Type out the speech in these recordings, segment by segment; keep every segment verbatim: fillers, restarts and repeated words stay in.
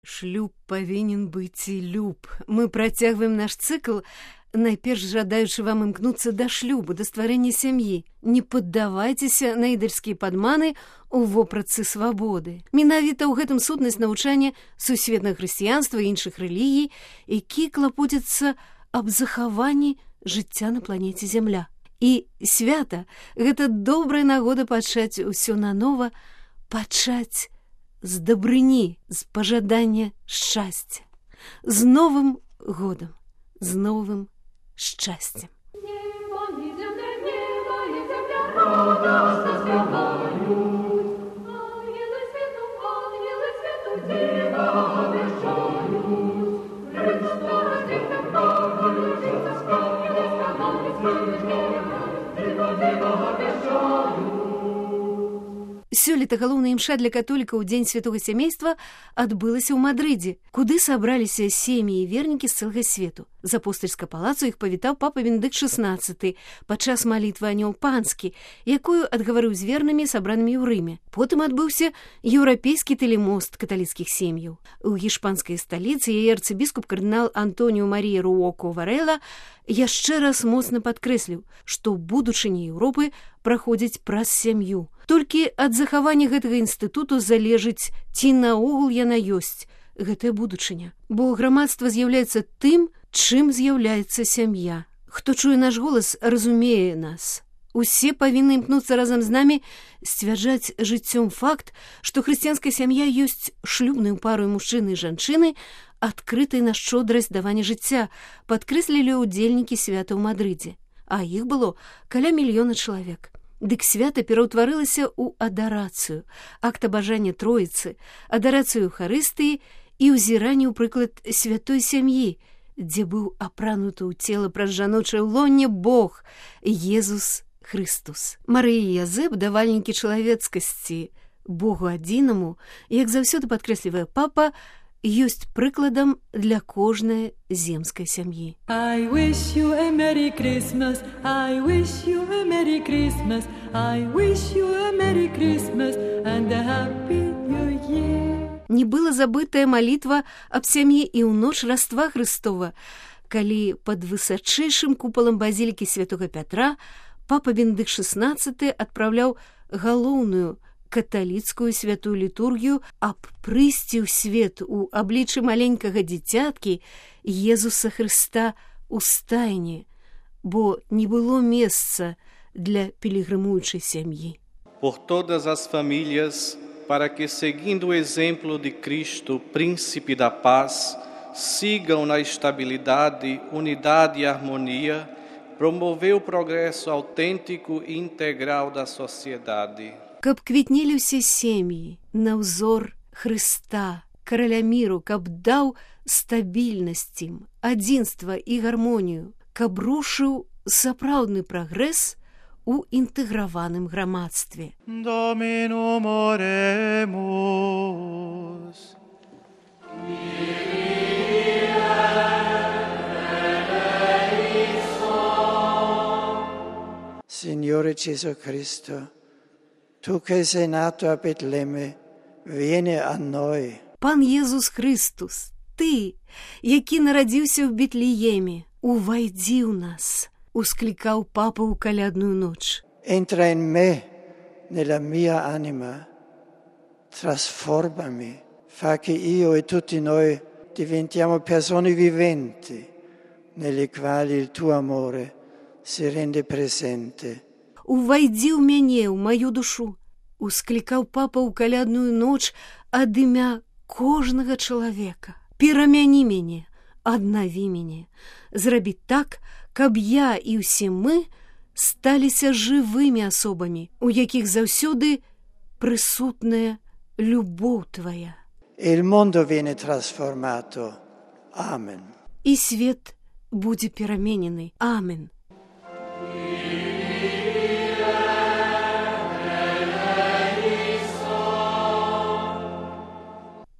Шлюб павінен быць і люб. Мы працягваем наш цыкл, найперш жадаючы вам імкнуцца да шлюбу, да стварэння сям'і. Не паддавайцеся на ідальскія падманы у вопратцы свабоды. Менавіта ў гэтым сутнасць навучання сусветнага хрысціянства і іншых рэлігій, які клапоцяцца аб захаванні жыцця на планеце Зямля. І свята – гэта добрая нагода пачаць усё нанова, пачаць з дабрыні, з пажадання шчасця. З Новым годам, з новым шчасцем. Сёлета галоўная імша для католікаў у дзень святога сямейства адбылася ў Мадрыдзе, куды сабраліся сем'і і вернікі з цэлага свету. З апостальскага палацу іх павітаў папа Бенедыкт шаснаццаты падчас малітвы анёл панскі, якую адгаварыў з вернымі, сабранымі ў Рыме. Потым адбыўся еўрапейскі тэлемост каталіцкіх сем'яў. У гішпанскай сталіцы яе арцыбіскуп кардынал Антоніо Марія Руоко Варэла яшчэ раз моцна падкрэсліў, што будучыня Еўропы праходзіць праз сям'ю. Толькі ад захавання гэтага інстытуту залежыць, ці наогул яна ёсць, гэтая будучыня. Бо грамадства з'яўляецца тым, чым з'яўляецца сям'я. Хто чуе наш голас, разумее нас. Усе павінны імкнуцца разам з намі сцвярджаць жыццём факт, што хрысціянская сям'я ёсць шлюбнаю парою мужчыны і жанчыны, адкрытай на шчодрасць давання жыцця, падкрэслілі ўдзельнікі свята ў Мадрыдзе. А іх было каля мільёна чалавек. Дык свята пераўтварылася ў адарацыю, акт абажання Троіцы, адарацыю Эўхарыстыі і ўзіранне ў прыклад святой сям'і, дзе быў апрануты ў цела праз жаночае лонне Бог, Езус Хрыстус. Марыя і Язэп, давальнікі чалавецкасці, Богу адзінаму, як заўсёды падкрэслівае папа, ёсць прыкладам для кожнай земскай сям'і. I wish you a Merry Christmas, I wish you a Merry Christmas, I wish you a Merry Christmas and a Happy New Year. Не была забытая малітва аб сям'і і ў ноч Раства Хрыстова, калі пад высачэйшым купалам базілікі святога Пятра папа Бенедыкт шаснаццаты адпраўляў галоўную каталіцкую святую літургію аб прыйсці ў свет у абліччы маленькага дзіцяткі Езуса Хрыста ў стайні, бо не было месца для пілігрымуючай сям'і. Por todas as famílias, para que, seguindo o exemplo de Cristo, príncipe da paz, sigam na estabilidade, unidade e harmonia, promover o progresso autêntico e integral da sociedade. Каб квітнелі ўсе сем'і на ўзор Хрыста, караля міру, каб даў стабільнасць ім, адзінства і гармонію, каб рушыў сапраўдны прагрэс у інтэграваным грамадстве. Dominum oremus. Signore Gesù Cristo, tu che sei nato a Betlemme, vieni a noi. Пан Єзус Христус, ти, який народився в Бітліємі, увайди у нас, ускликав папа у колядную ноч. Entra in me, nella mia anima, trasformami, fa che io e tutti noi diventiamo persone viventi, nelle quali il tuo amore si rende presente. Увайди ў мяне, ў маю душу, усклікаў папа ў калядную ноч ад імя кожнага чалавека. Перамяні мяне, аднаві мяне, зрабі так, каб я і ўсе мы сталіся жывымі асобамі, у якіх заўсёды прысутная любоў твая. E il mondo viene trasformato. Amen. І свет будзе пераменены. Амен.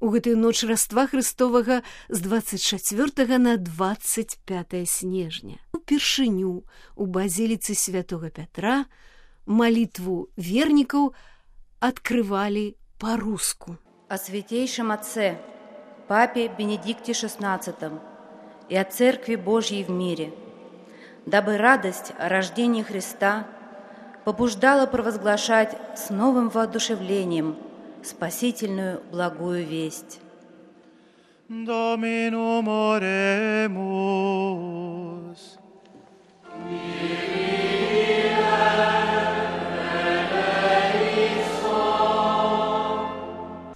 У гэтую ноч Раства Хрыстовага з дваццаць чацвёртага на дваццаць пятае снежня. Упершыню у базіліцы святога Пятра малітву вернікаў адкрывалі па-руску. О Святейшем Отце, Папе Бенедикте шестнадцатом и о Церкви Божьей в мире, дабы радость о рождении Христа побуждала провозглашать с новым воодушевлением спасительную благую весть. Dominum oremus.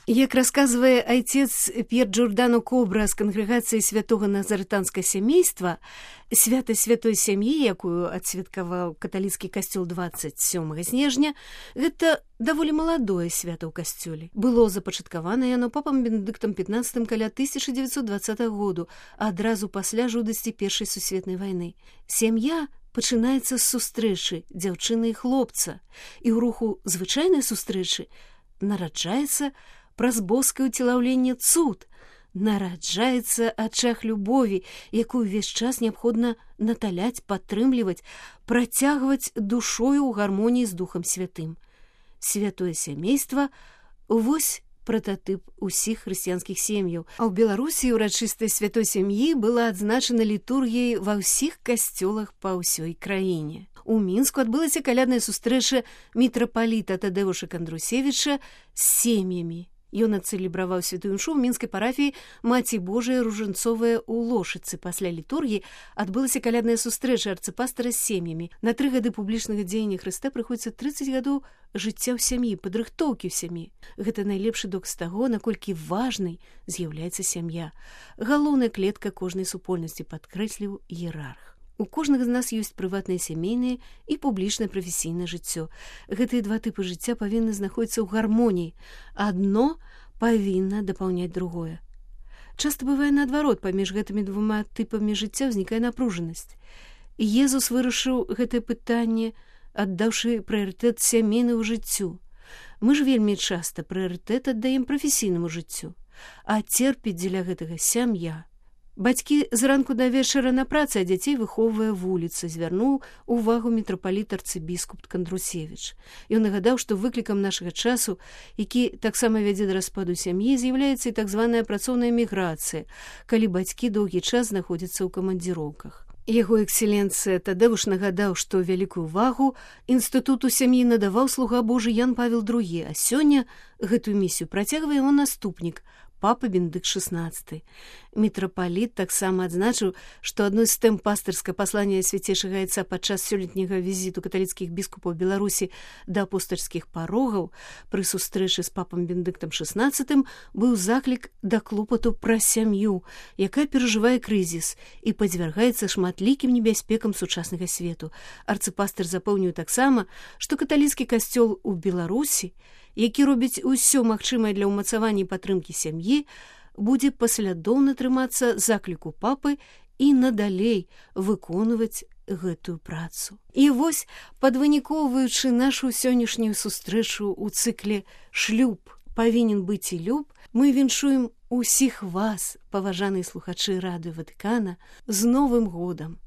Як расказвае айцец П'ер Джордано Кобра з кангрэгацыі святога назарытанскага сямейства, свята святой сям'і, якую адсвяткаваў каталіцкі касцёл дваццаць сёмага снежня, гэта даволі маладое свята ў касцёле. Было запачаткавана яно папам Бенедыктам пятнаццатым каля тысяча дзевяцьсот дваццатага году, адразу пасля жудасці першай сусветнай вайны. Сям'я пачынаецца з сустрэчы дзяўчыны і хлопца, і ў руху звычайнай сустрэчы нараджаецца праз боскае ўцелаўленне цуд, нараджаецца ачах любові, якую ўвесь час неабходна наталяць, падтрымліваць, працягваць душою ў гармоніі з Духам Святым. Святое сямейства – вось прататып усіх хрысціянскіх сем'яў. А ў Беларусі ўрачыстасць святой сям'і была адзначана літургіяй ва ўсіх касцёлах па ўсёй краіне. У Мінску адбылася калядная сустрэча мітрапаліта Тадэвуша Кандрусевіча з сем'ямі. Ён адцэлебраваў святую імшу ў мінскай парафіі Маці Божая Ружанцовая ў Лошыцы. Пасля літургіі адбылася калядная сустрэча арцыпастара з сем'ямі. На тры гады публічнага дзеяння Хрыста прыходзіцца трыццаць гадоў жыцця ў сям'і, падрыхтоўкі ў сям'і. Гэта найлепшы доказ таго, наколькі важнай з'яўляецца сям'я. Галоўная клетка кожнай супольнасці, падкрэсліў іерарх. У кожнага з нас ёсць прыватнае сямейнае і публічнае прафесійнае жыццё. Гэтыя два тыпы жыцця павінны знаходзіцца ў гармоніі. Адно павінна дапаўняць другое. Часта бывае наадварот, паміж гэтымі двума тыпамі жыцця ўзнікае напружанасць. Езус вырашыў гэтае пытанне, аддаўшы прыярытэт сямейнаму жыццю. Мы ж вельмі часта прыярытэт аддаем прафесійнаму жыццю, а церпіць дзеля гэтага сям'я. Бацькі зранку да вечара на працы, а дзяцей выхоўвае вуліца, звярнуў увагу мітрапаліт арцыбіскуп Кандрусевіч. Ён нагадаў, што выклікам нашага часу, які таксама вядзе да распаду сям'і, з'яўляецца і так званая працоўная міграцыя, калі бацькі доўгі час знаходзяцца ў камандзіроўках. Яго экселенцыя Тадэвуш нагадаў, што вялікую увагу інстытуту сям'і надаваў слуга Божы Ян Павел другі, а сёння гэтую місію працягвае яго наступнік, папа Бенедыкт шестнадцаты. Мітрапаліт таксама адзначыў, што адной з тэм пастырскага паслання свяцейшага айца падчас сёлетняга візіту каталіцкіх біскупаў Беларусі да апостальскіх парогаў пры сустрэчы з папам Бенедыктам шестнадцатым быў заклік да клопату пра сям'ю, якая перажывае крызіс і падвяргаецца шматлікім небяспекам сучаснага свету. Арцыпастыр запэўніў таксама, што каталіцкі касцёл у Беларусі, які робіць усё магчымае для ўмацавання і падтрымкі сям'і, будзе паслядоўна трымацца закліку папы і надалей выконваць гэтую працу. І вось, падвынікоўваючы нашу сённяшнюю сустрэчу ў цыкле «Шлюб павінен быць і люб», мы віншуем усіх вас, паважаныя слухачы радыё Ватыкана, з Новым годам,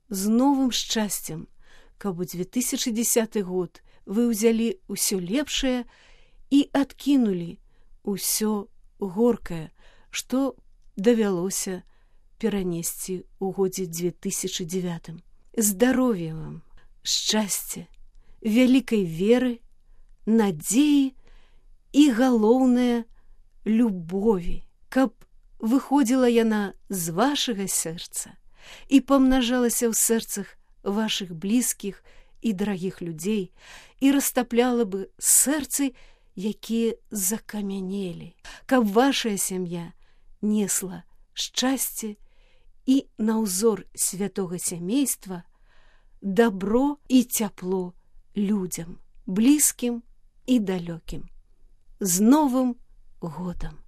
з новым шчасцем, каб у две тысячы дзесяты год вы ўзялі ўсё лепшае і адкінулі ўсё горкае, што давялося перанесці ў годзе две тысячы дзевятым. Здароўя вам, шчасця, вялікай веры, надзеі і, галоўнае, любові, каб выходзіла яна з вашага сэрца і памнажалася ў сэрцах вашых блізкіх і дарагіх людзей і растапляла бы сэрцы, якія закамянелі, каб вашая сям'я несла шчасце і на ўзор святога сямейства дабро і цяпло людзям, блізкім і далёкім. З Новым годам!